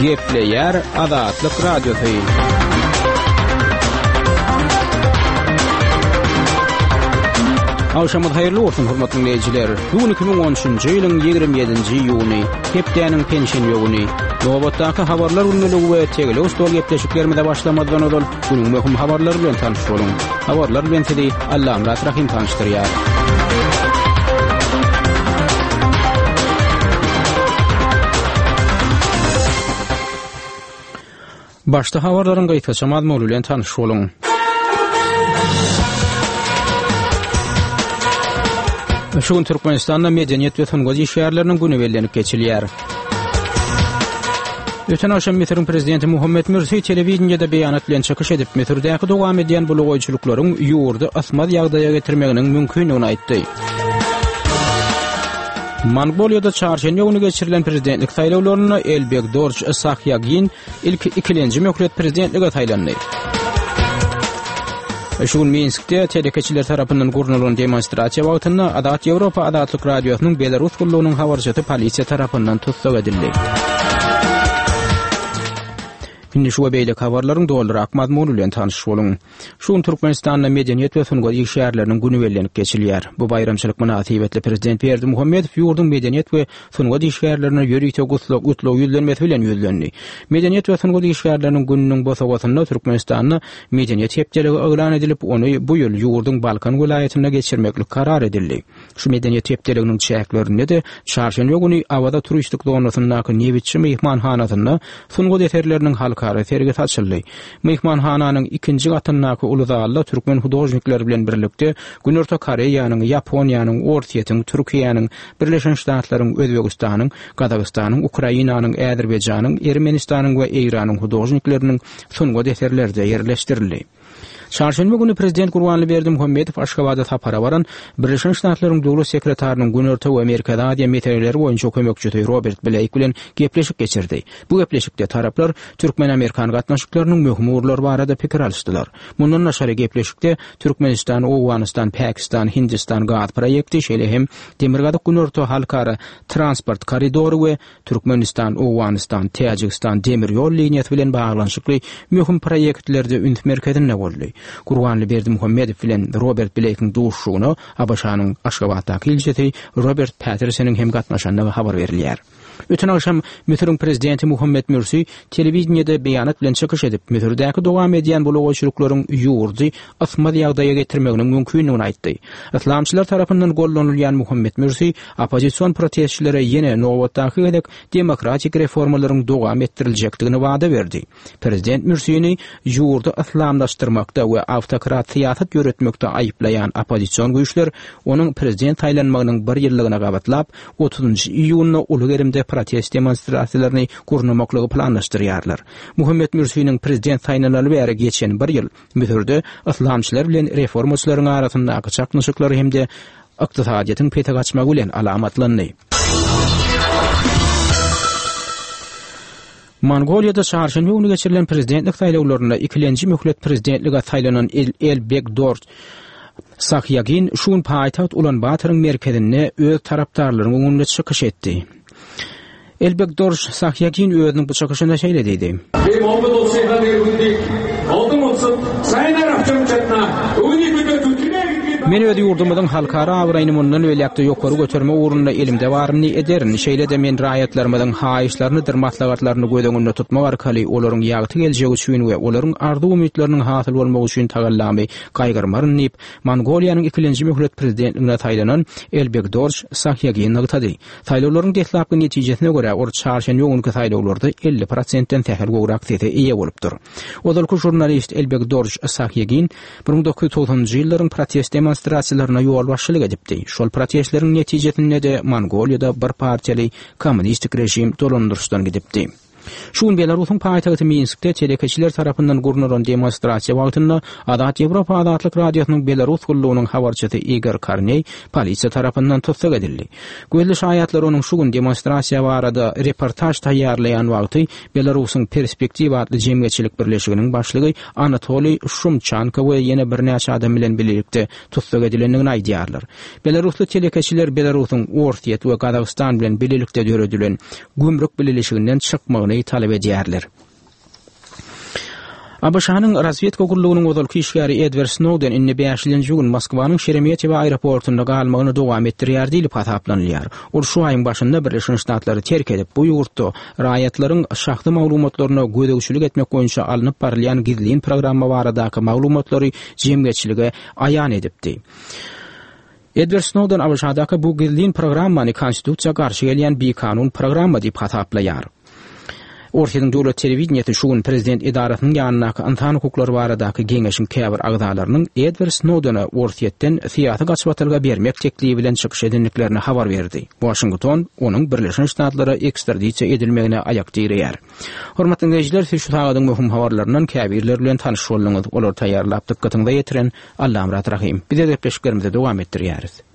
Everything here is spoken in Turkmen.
Gepleýär Azatlyk Radiosy. Agşamyňyz haýyrly bolsun, hormatly diňleýjiler. Bu gün 2013-nji ýylyň 27-nji iýuny, hepdäniň penşenbe güni. Nobatdaky habarlar gündeligi we tegelek stol gepleşiklerimize başlamazdan ozal günüň möhüm habarlary bilen tanyş boluň. Habarlar bilen sizi Allamyrat Rahym tanyşdyrýar. Başda habarlaryň gysgaça mazmuny bilen tanyş boluň. Şu gün Türkmenistanda Medeniýet we sungat işgärleriniň güni bellenip geçilýär. Öten agşam Müsüriň prezidenti Muhammed Mürsi telewideniýede beýanat bilen çykyş edip, Müsürdäki dowam edýän bulagaýçylyklaryň ýurdy ysmaz ýagdaýa getirmeginiň mümkindigini aýtdy. Mongoliýada çarşenbe güni geçirilen prezidentlik saýlawlarynda Elbegdorj Sahýagin ilki ikilenji möhlet prezidentlige saýlandy. Şu gün Minskde telekeçiler tarapyndan gurnalan demonstrasiýa wagtynda Azat Ýewropa Azatlyk Radiosynyň Belarus gullugynyň habarçysy polisiýa tarapyndan tussag edildi. Indi şu we beýleki habarlaryň dolurak mazmuny bilen tanyş boluň. Şu gün Türkmenistanda Medeniýet we sungat işgärleriniň güni bellenip geçilýär. Bu baýramçylyk mynasybetli Prezident Berdimuhamedow ýurduň medeniýet we sungat işgärlerine ýörite gutlag gutlag ýüzlenmesi bilen ýüzlendi. Medeniýet we sungat işgärleriniň gününiň bosagasynda Türkmenistanda Medeniýet hepdeligi yglan edilip, ony bu ýyl ýurduň Balkan welaýatynda geçirmeklik karar edildi. Şu Medeniýet hepdeliginiň çäklerinde-de çarşenbe güni Awaza turistik zonasyndaky Nebitçi myhmanhanasynda sungat eserleriniň halkara sergisi açyldy. Myhmanhananyň ikinji gatyndaky uly zalda türkmen hudožnikleri bilen birlikde Günorta Koreýanyň, Ýaponiýanyň, Orsýetiň, Türkiýäniň, Birleşen Ştatlaryň, Özbegistanyň, Gazagystanyň, Ukrainanyň, Äzerbaýjanyň, Ermenistanyň we Eýranyň hudožnikleriniň sungat eserleri-de ýerleşdirildi. Çarşenbe güni prezident Gurbanly Berdimuhamedow Aşgabada sapara baran Birleşen Ştatlaryň Döwlet sekretarynyň Günorta we Merkezi Aziýa meseleleri boýunça kömekçisi Robert Bleýk bilen gepleşik geçirdi. Bu gepleşikde taraplar türkmen-amerikan gatnaşyklarynyň möhüm ugurlary barada pikir alyşdylar. Mundan daşary gepleşikde Türkmenistan, Owganystan, Pakistan, Hindistan gaz proýekti, şeýle hem Demirgazyk-Günorta halkara transport koridory we Türkmenistan, Owganystan, Täjigistan demir ýol liniýasy bilen baglanyşykly möhüm proýektlerde üns merkezinde boldy. Gurbanly Berdimuhamedow bilen Robert Bleýkiň duşuşygyna ABŞ-nyň Aşgabatdaky ilçisi Robert Pattersonyň hem gatnaşandygy habar berilýär. Öten agşam Müsüriň prezidenti Muhammed Mürsi telewideniýede beýanat bilen çykyş edip, Müsürdäki dowam edýän bulagaýçylyklaryň ýurdy ysmaz ýagdaýa getirmeginiň mümkindigini aýtdy. Yslamçylar tarapyndan gollanylýan Muhammed Mürsi oppozision protestçilere ýene nobatdaky gezek demokratik reformalaryň dowam etdiriljekdigini wada berdi. Prezident Mürsini ýurdy yslamlaşdyrmakda we awtokrat syýasat ýöretmekde aýyplaýan oppozision güýçler onuň prezident saýlanmagynyň bir ýyllygyna gabatlap, otuzynjy iýunda uly gerimde protest demonstrasiýalaryny gurnamaklygy planlaşdyrýarlar. Muhammet Mürsiniň prezident saýlanaly bäri geçen bir ýyl Müsürde yslamçylar bilen reformaçylaryň arasyndaky çaknyşyklar hem-de ykdysadyýetiň pese gaçmagy bilen alamatlandy. Mongoliýada çarşenbe güni geçirilen prezidentlik saýlawlarynda ikilenji möhlet prezidentlige saýlanan Elbegdorj Sahýagin şu gün paýtagt Ulan-Batoryň merkezinde öz tarapdarlarynyň öňünde çykyş etdi. Elbegdorj Sahýagin özüniň bu çykyşynda şeýle diýdi. Men öz ýurdumyzyň halkara abraýyny mundan beýläk-de ýokary götermek ugrunda elimde baryny ederin. Şeýle-de men raýatlarymyzyň haýyşlarynydyr maslahatlaryny göz öňünde tutmak arkaly olaryň ýagty geljegi üçin we olaryň arzuw-umytlarynyň hasyl bolmagy üçin tagallamy gaýgyrmaryn diýip, Mongoliýanyň ikilenji möhlet prezidentligine saýlanan Elbegdorj Sahýagin nygtady. Saýlawlaryň deslapky netijesine görä, ol çarşenbe günki saýlawlarda 50 prosentden sähel gowrak sese eýe bolupdyr. Ozalky žurnalist Elbegdorj Sahýagin 1990-njy ýyllaryň protest demonstrasiýalaryna ýolbaşçylyk edipdi. Şol protestleriň netijesinde-de Mongoliýada bir partiýaly kommunistik režim dolandyryşdan gidipdi. Şu gün Belarusyň paýtagty Minskde telekeçiler tarapyndan gurnalan demonstrasiýa wagtynda Azat Ýewropa Azatlyk Radiosynyň Belarus gullugynyň habarçysy Igor Karneý polisiýa tarapyndan tussag edildi. Gözli şaýatlar onuň şu gün demonstrasiýa barada reportaž taýýarlaýan wagty Belarusyň Perspektiwa atly jemgyýetçilik birleşiginiň başlygy Anatoliý Şumçanko we ýene birnäçe adam bilen bilelikde tussag edilendigini aýdýarlar. Belarusly telekeçiler Belarusyň Orsýet we Gazagystan bilen bilelikde döredilen Gümrük bileleşiginden çykmagyny. boşadylmagyny talap edýärler. ABŞ-nyň razwedka gullugynyň ozalky işgäri Edward Snowden indi bäşilenji gün Moskwanyň Şeremetýewo aeroportunda galmagyny dowam etdirýär diýlip hasaplanylýar. Ol şu aýyň başynda Birleşen Ştatlary terk edip, bu ýurtda raýatlaryň şahsy maglumatlaryna gözegçilik etmek boýunça alnyp barylýan gizlin programma baradaky maglumatlary jemgyýetçilige aýan edipdi. Edward Snowden ABŞ-daky bu gizlin programmany konstitusiýa garşy gelýän bikanun programma diýip hasaplaýar. Orsýetiň döwlet telewideniýesi şu gün prezident edarasynyň ýanyndaky ynsan hukuklary baradaky geňeşiň käbir agzalarynyň Edward Snowdene Orsýetden syýasy gaçybatalga bermek teklibi bilen çykyş edendiklerini habar berdi. Waşington onuň Birleşen Ştatlara ekstradisiýa edilmegine aýak direýär. Hormatly diňleýjiler, siz şu sagadyň möhüm habarlaryndan käbirleri bilen tanyş bolduňyz. Olary taýýarlap dykgatyňyza ýetiren Allamyrat Rahym. Biz gepleşiklerimizi dowam etdirýäris.